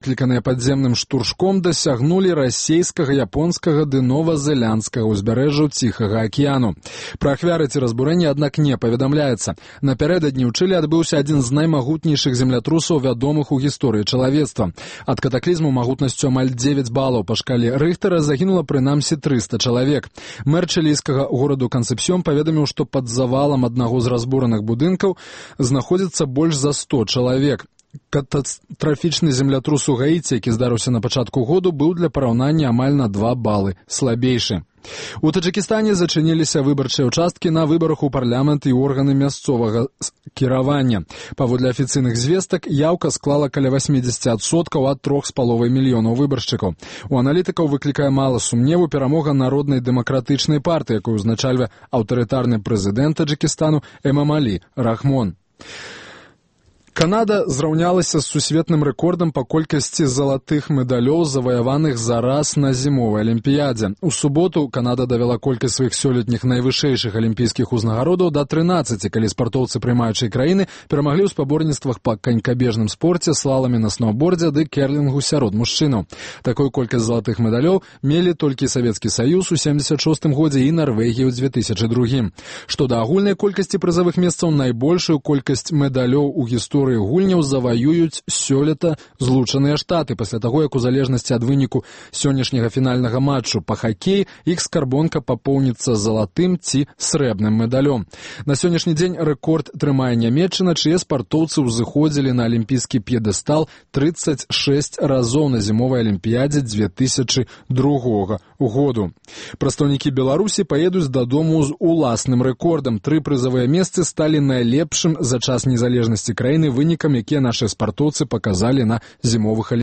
кліканыя падземным штуршком, дасягнулі расейскага, японскага ды новазеландскага ўзбярэжжаў Ціхага акіяну. Пра ахвяры ці разбурэнні, аднак, не паведамляецца. Напярэдадні ў Чылі адбыўся адзін з наймагутнейшых землятрусаў, вядомых у гісторыі чалавецтва. Ад катаклізму магутнасцю амаль 9 балаў па шкале Рыхтера загінула прынамсі 300 чалавек. Мэр чылійскага гораду Кансепсьён паведаміў, што пад завалам аднаго з разбураных будынкаў знаходзіцца больш за 100 чалавек. Катастрафічны землятрус у Гаіці, які здарыўся на пачатку году, быў для параўнання амаль на 2 балы слабейшы. У Таджыкістане зачыніліся выбарчыя ўчасткі на выбарах у парламент і органы мясцовага кіравання. Паводле афіцыйных звестак, яўка склала каля 80% ад 3,5 мільёнаў выбаршчыкаў. У аналітыкаў выклікае мала сумневу перамога Народнай дэмакратычнай партыі, якую узначальвае аўтарытарны прэзідэнт Таджыкістану Эмамалі Рахмон. Канада зраўнялася з сусветным рэкордам па колькасці залатых медалёў, заваяваных за раз на зімовай алімпіядзе. У суботу Канада давяла колькасць сваіх сёлетніх найвышэйшых алімпійскіх узнагародаў да 13, калі спартоўцы прымаючай краіны перамаглі ў спаборніцтвах па канькабежным спорце, слаламе на сноўбордзе ды керлінгу сярод мужчынаў. Такую колькасць залатых медалёў мелі толькі Савецкі Саюз у 76 годзе і Нарвегія ў 2002. Што да агульнай колькасці прызавых месцаў, найбольшую колькасць медалёў у гісторыі гульняў заваююць сёлета Злучаныя Штаты. Пасля таго, як у залежнасці ад выніку сённяшняга фінальнага матчу па хакеі іх скарбонка папоўніцца залатым ці срэбным медалём. На сённяшні дзень рэкорд трымае Нямецчына, чые спартоўцы ўзыходзілі на алімпійскі п'едэстал 36 разоў на зімовай алімпіядзе 2002 году. Прадстаўнікі Беларусі паедуць дадому з уласным рэкордам. 3 прызавыя месцы сталі найлепшым за час незалежнасці краіны вынікам, якія нашы спартоўцы паказалі на зімовых алімпіядах.